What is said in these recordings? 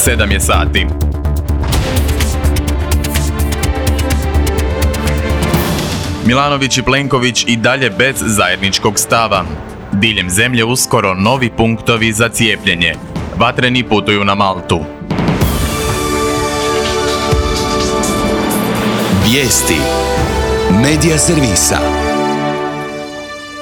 7 je sati. Milanović i Plenković i dalje bez zajedničkog stava. Diljem zemlje uskoro novi punktovi za cijepljenje. Vatreni putuju na Maltu. Vijesti Medija servisa.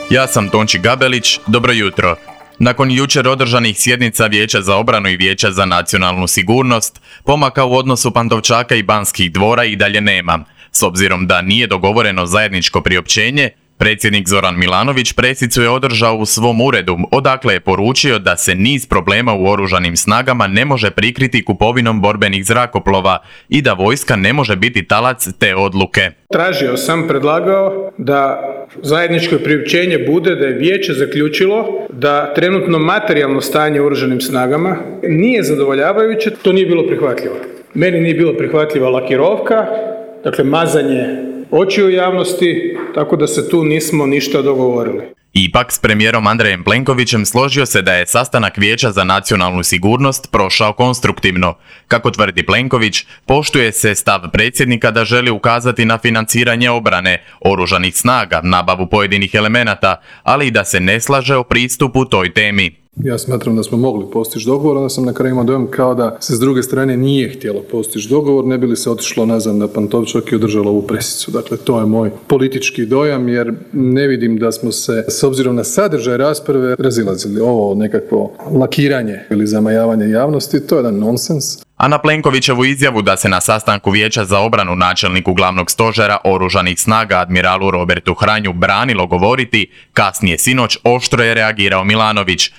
Ja sam Tonči Gabelić, dobro jutro. Nakon jučer održanih sjednica Vijeća za obranu i Vijeća za nacionalnu sigurnost, pomaka u odnosu Pantovčaka i Banskih dvora i dalje nema. S obzirom da nije dogovoreno zajedničko priopćenje, predsjednik Zoran Milanović pressicu je održao u svom uredu, odakle je poručio da se niz problema u oružanim snagama ne može prikriti kupovinom borbenih zrakoplova i da vojska ne može biti talac te odluke. Tražio sam, predlagao da zajedničko priopćenje bude da je vijeće zaključilo da trenutno materijalno stanje u oružanim snagama nije zadovoljavajuće, to nije bilo prihvatljivo. Meni nije bilo prihvatljiva lakirovka, dakle mazanje očiju javnosti, tako da se tu nismo ništa dogovorili. Ipak s premijerom Andrejem Plenkovićem složio se da je sastanak Vijeća za nacionalnu sigurnost prošao konstruktivno. Kako tvrdi Plenković, poštuje se stav predsjednika da želi ukazati na financiranje obrane, oružanih snaga, nabavu pojedinih elemenata, ali i da se ne slaže o pristupu toj temi. Ja smatram da smo mogli postići dogovor, onda sam na kraju imao dojam kao da se s druge strane nije htjelo postići dogovor, ne bi li se otišlo nazad na Pantovčak i održalo ovu pressicu. Dakle, to je moj politički dojam, jer ne vidim da smo se, s obzirom na sadržaj rasprave, razilazili. Ovo nekakvo lakiranje ili zamajavanje javnosti, to je jedan nonsens. A na Plenkovićevu izjavu da se na sastanku Vijeća za obranu načelniku glavnog stožera oružanih snaga admiralu Robertu Hranju branilo govoriti, kasnije sinoć oštro je reagirao Milanović.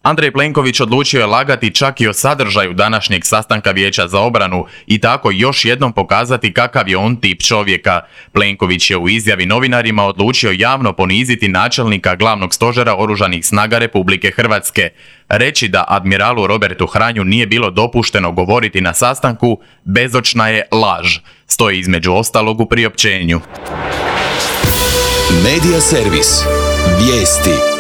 Andrej Plenković odlučio je lagati čak i o sadržaju današnjeg sastanka Vijeća za obranu i tako još jednom pokazati kakav je on tip čovjeka. Plenković je u izjavi novinarima odlučio javno poniziti načelnika glavnog stožera oružanih snaga Republike Hrvatske. Reći da admiralu Robertu Hranju nije bilo dopušteno govoriti na sastanku, bezočna je laž. Stoji između ostalog u priopćenju. Medija servis. Vijesti.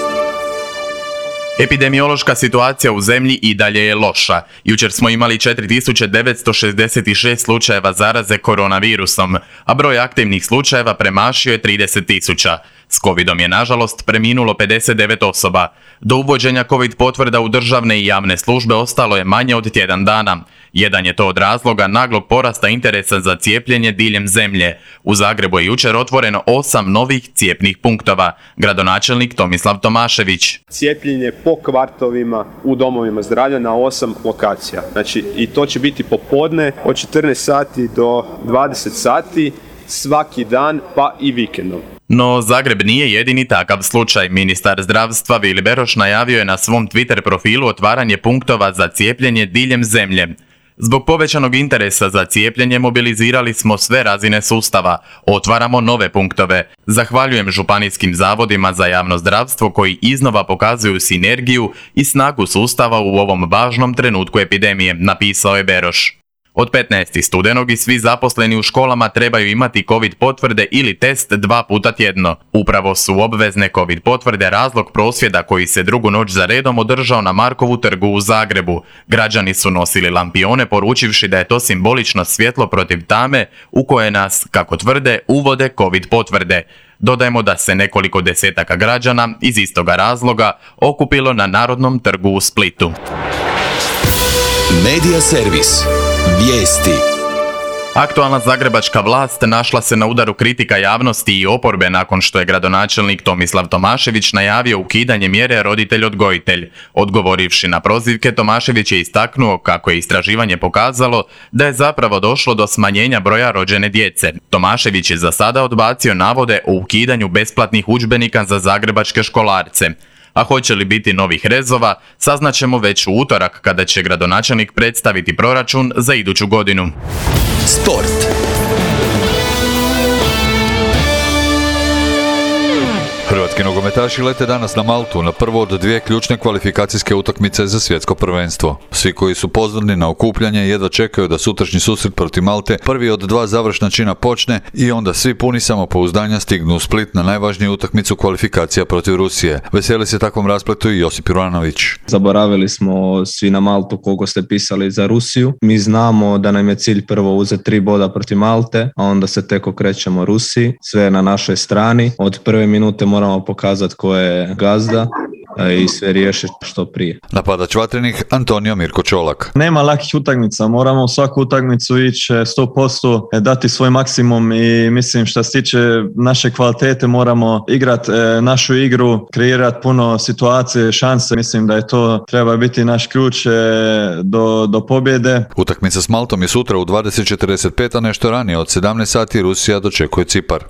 Epidemiološka situacija u zemlji i dalje je loša. Jučer smo imali 4966 slučajeva zaraze koronavirusom, a broj aktivnih slučajeva premašio je 30.000. S covidom je nažalost preminulo 59 osoba. Do uvođenja covid potvrda u državne i javne službe ostalo je manje od tjedan dana. Jedan je to od razloga naglog porasta interesa za cijepljenje diljem zemlje. U Zagrebu je jučer otvoreno 8 novih cijepnih punktova. Gradonačelnik Tomislav Tomašević. Cijepljenje po kvartovima u domovima zdravlja na 8 lokacija. Znači, i to će biti popodne od 14 sati do 20 sati svaki dan pa i vikendom. No, Zagreb nije jedini takav slučaj. Ministar zdravstva Vili Beroš najavio je na svom Twitter profilu otvaranje punktova za cijepljenje diljem zemlje. Zbog povećanog interesa za cijepljenje mobilizirali smo sve razine sustava. Otvaramo nove punktove. Zahvaljujem županijskim zavodima za javno zdravstvo koji iznova pokazuju sinergiju i snagu sustava u ovom važnom trenutku epidemije, napisao je Beroš. Od 15. studenog i svi zaposleni u školama trebaju imati covid potvrde ili test 2 puta tjedno. Upravo su obvezne covid potvrde razlog prosvjeda koji se drugu noć za redom održao na Markovu trgu u Zagrebu. Građani su nosili lampione poručivši da je to simbolično svjetlo protiv tame u koje nas, kako tvrde, uvode covid potvrde. Dodajemo da se nekoliko desetaka građana iz istoga razloga okupilo na Narodnom trgu u Splitu. Medija servis. Vijesti. Aktualna zagrebačka vlast našla se na udaru kritika javnosti i oporbe nakon što je gradonačelnik Tomislav Tomašević najavio ukidanje mjere roditelj-odgojitelj. Odgovorivši na prozivke, Tomašević je istaknuo kako je istraživanje pokazalo da je zapravo došlo do smanjenja broja rođene djece. Tomašević je za sada odbacio navode o ukidanju besplatnih udžbenika za zagrebačke školarce. A hoće li biti novih rezova, saznaćemo već u utorak kada će gradonačelnik predstaviti proračun za iduću godinu. Sport. Hrvatski nogometaši lete danas na Maltu na prvo od dvije ključne kvalifikacijske utakmice za svjetsko prvenstvo. Svi koji su pozorni na okupljanje jedva čekaju da sutrašnji susret protiv Malte, prvi od dva završna čina, počne i onda svi puni samopouzdanja stignu u Split na najvažniju utakmicu kvalifikacija protiv Rusije. Veseli se takvom raspletu i Josip Juranović. Zaboravili smo svi na Maltu koliko ste pisali za Rusiju. Mi znamo da nam je cilj prvo uzeti 3 boda protiv Malte, a onda se tek okrećemo Rusiji. Sve je na našoj strani. Od prve minute moramo pokazati ko je gazda i sve riješiti što prije. Napadač Vatrenih Antonio Mirko Čolak. Nema lakih utakmica, moramo u svaku utakmicu ići 100%, dati svoj maksimum i mislim što se tiče naše kvalitete moramo igrati našu igru, kreirati puno situacije, šanse. Mislim da je to treba biti naš ključ do pobjede. Utakmica s Maltom je sutra u 20:45, a nešto ranije od 17 sati Rusija dočekuje Cipar.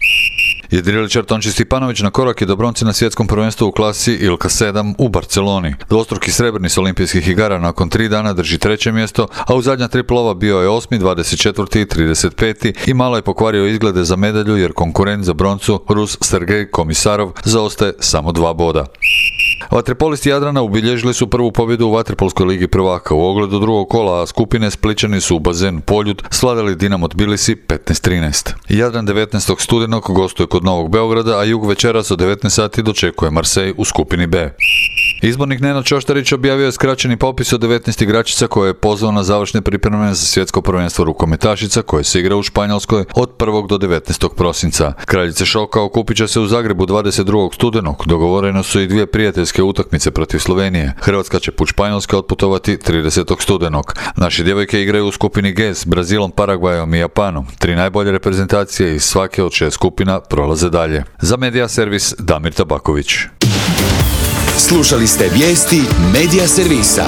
Jedriličar Tonči Stipanović na korak je do bronce na svjetskom prvenstvu u klasi Ilka 7 u Barceloni. Dvostruki srebrni s olimpijskih igara nakon 3 dana drži 3. mjesto, a u zadnja 3 plova bio je 8., 24. i 35. i malo je pokvario izglede za medalju jer konkurent za broncu, Rus Sergej Komisarov, zaostaje samo 2 boda. Vaterpolisti Jadrana ubilježili su prvu pobjedu u Vaterpolskoj ligi prvaka. U ogledu drugog kola, a skupine Splićani su u bazen Poljud svladali Dinamo Tbilisi 15-13. Jadran 19. studenog gostuje kod Novog Beograda, a Jug večeras od 19 sati dočekuje Marseille u skupini B. Izbornik Nenad Čoštarić objavio je skraćeni popis od 19 igračica koje je pozvao na završne pripreme za svjetsko prvenstvo rukometašica koje se igra u Španjolskoj od 1. do 19. prosinca. Kraljice šoka okupit će se u Zagrebu 22. studenog. Dogovoreno su i 2 prijateljske utakmice protiv Slovenije. Hrvatska će put Španjolske otputovati 30. studenog. Naše djevojke igraju u skupini G s Brazilom, Paragvajom i Japanom. 3 najbolje reprezentacije iz svake od 6 skupina prolaze dalje. Za Media Servis Damir Tabaković. Slušali ste vijesti Media Servisa.